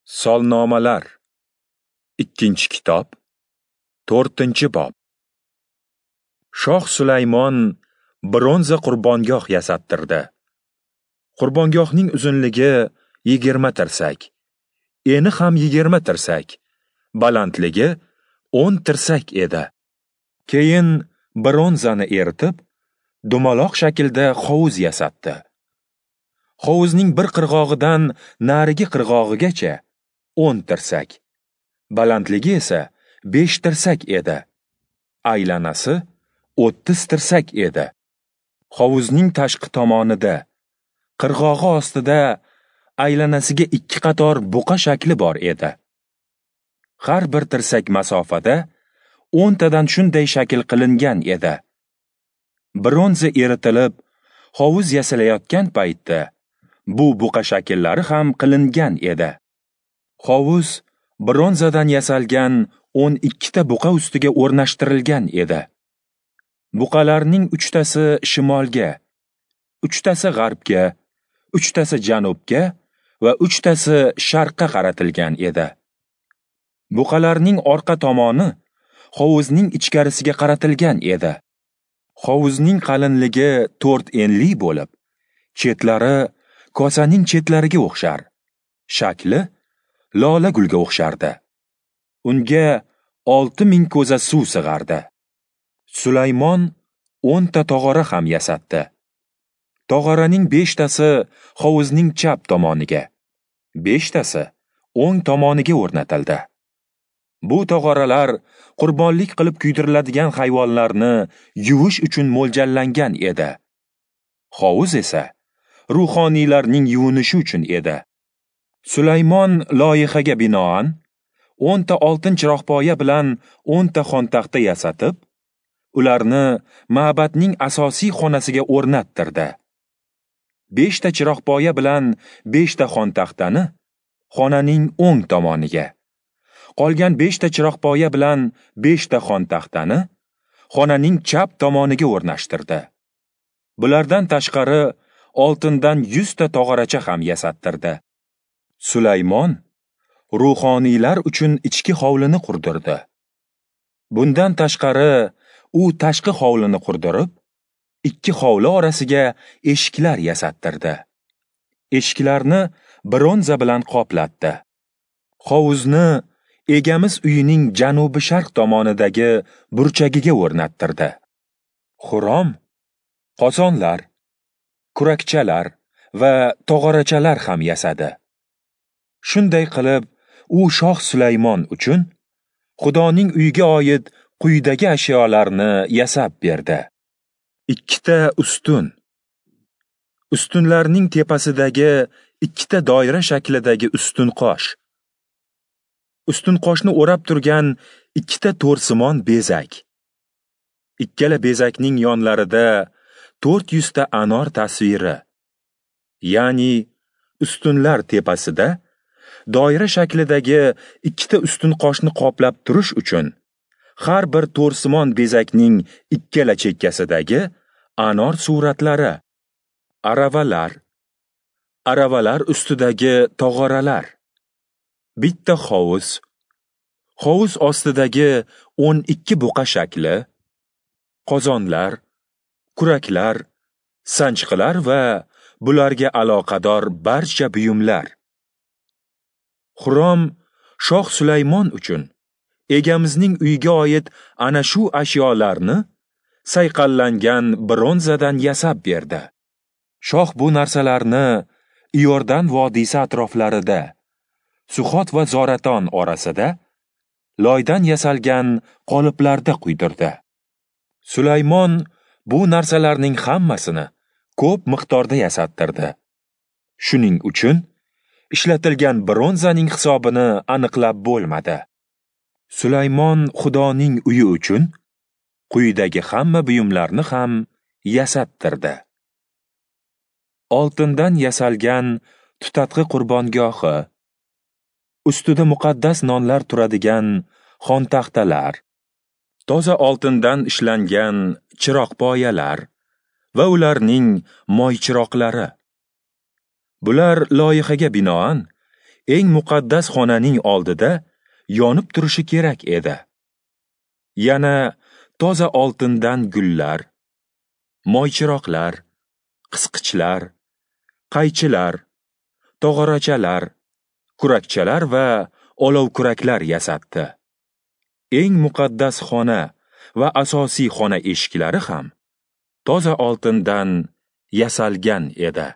Solnomalar. 2-kitob, 4-bob. Shoh Sulaymon bronza qurbongoh yasattirdi. Qurbongohning uzunligi 20 tirsak, eni ham 20 tirsak, balandligi 10 tirsak edi. Keyin bronzani eritib, dumaloq shaklda hovuz yasatdi. Hovuzning bir qirg'og'idan narigi qirg'og'igacha 10 tirsak, balandligi esa 5 tirsak edi. Aylanasi 30 tirsak edi. Hovuzning tashqi tomonida, qirg'og'i ostida aylanasiga 2 qator buqa shakli bor edi. Har bir tirsak masofada 10 tadan shunday shakl qilingan edi. Bronza eritilib, hovuz yasalayotgan paytda bu buqa shakllari ham qilingan edi. Hovuz bronzadan yasalgan 12 ta buqa ustiga o'rnashtirilgan edi. Buqalarning 3 tasi shimolga, 3 tasi g'arbga, 3 tasi janubga va 3 tasi sharqqa qaratilgan edi. Buqalarning orqa tomoni hovuzning ichkarisiga qaratilgan edi. Hovuzning qalinligi 4 enli bo'lib, chetlari kosaning chetlariga o'xshar, shakli lola gulga o'xshardi. Unga 6000 ko'za suv sig'ardi. Sulaymon 10 ta tog'ora ham yasatdi. Tog'oraning 5 tasi hovuzning chap tomoniga, 5 tasi o'ng tomoniga o'rnatildi. Bu tog'oralar qurbonlik qilib kuydiriladigan hayvonlarni yuvish uchun mo'ljallangan edi. Hovuz esa ruhoniylarning yuvinishi uchun edi. Sulaymon loyihaga binoan 10 ta oltin chiroqpoya bilan 10 ta xontaxta yasatib, ularni ma'badning asosiy xonasiga o'rnattirdi. 5 ta chiroqpoya bilan 5 ta xontaxtani xonaning o'ng tomoniga, qolgan 5 ta chiroqpoya bilan 5 ta xontaxtani xonaning chap tomoniga o'rnashtirdi. Bulardan tashqari oltindan 100 ta tog'oracha ham yasattirdi. Sulaymon ruhoniylar uchun ichki hovlini qurdirdi. Bundan tashqari u tashqi hovlini qurdirib, 2 hovli orasiga eshiklar yasattirdi. Eshiklarni bronza bilan qoplatdi. Hovuzni egamiz uyining janubi-sharq tomonidagi burchagiga o'rnattirdi. Xurom qozonlar, kurakchalar va tog'orachalar ham yasadi. Shunday qilib, u Shoh Sulaymon uchun Xudoning uyiga oid quyidagi ashyolarni yasab berdi. 2 ta ustun. Ustunlarning tepasidagi 2 ta doira shaklidagi ustun qosh. Ustun qoshni o'rab turgan 2 ta to'rsimon bezak. Ikkala bezakning yonlarida 400 ta anor tasviri. Ya'ni ustunlar tepasida doira shaklidagi 2 ta ustun qoshni qoplab turish uchun har bir to'rsimon bezakning ikkala chekkasidagi anor suratlari, aravalar, aravalar ustidagi tog'oralar, bitta hovuz, hovuz ostidagi 12 buqa shakli, qozonlar, kuraklar, sanchqilar va bularga aloqador barcha buyumlar. Xurom Shoh Sulaymon uchun egamizning uyiga oid ana shu ashyolarni sayqallangan bronzadan yasab berdi. Shoh bu narsalarni Iordan vodiysi atroflarida, Suxot va Zoraton orasida loydan yasalgan qoliplarda quydirdi. Sulaymon bu narsalarning hammasini ko'p miqdorda yasattirdi. Shuning uchun ishlatilgan bronzaning hisobini aniqlab bo'lmadi. Sulaymon Xudoning uyi uchun quyidagi hamma buyumlarni ham yasattirdi. Oltindan yasalgan tutatqi qurbongohi, ustida muqaddas nonlar turadigan xontaxtalar, toza oltindan ishlangan chiroqpoyalar va ularning moychiroqlari. Bular loyihaga binoan eng muqaddas xonaning oldida yonib turishi kerak edi. Yana toza oltindan gullar, moychiroqlar, qisqichlar, qaychilar, tog'orachalar, kurakchalar va olovkuraklar yasatdi. Eng muqaddas xona va asosiy xona eshiklari ham toza oltindan yasalgan edi.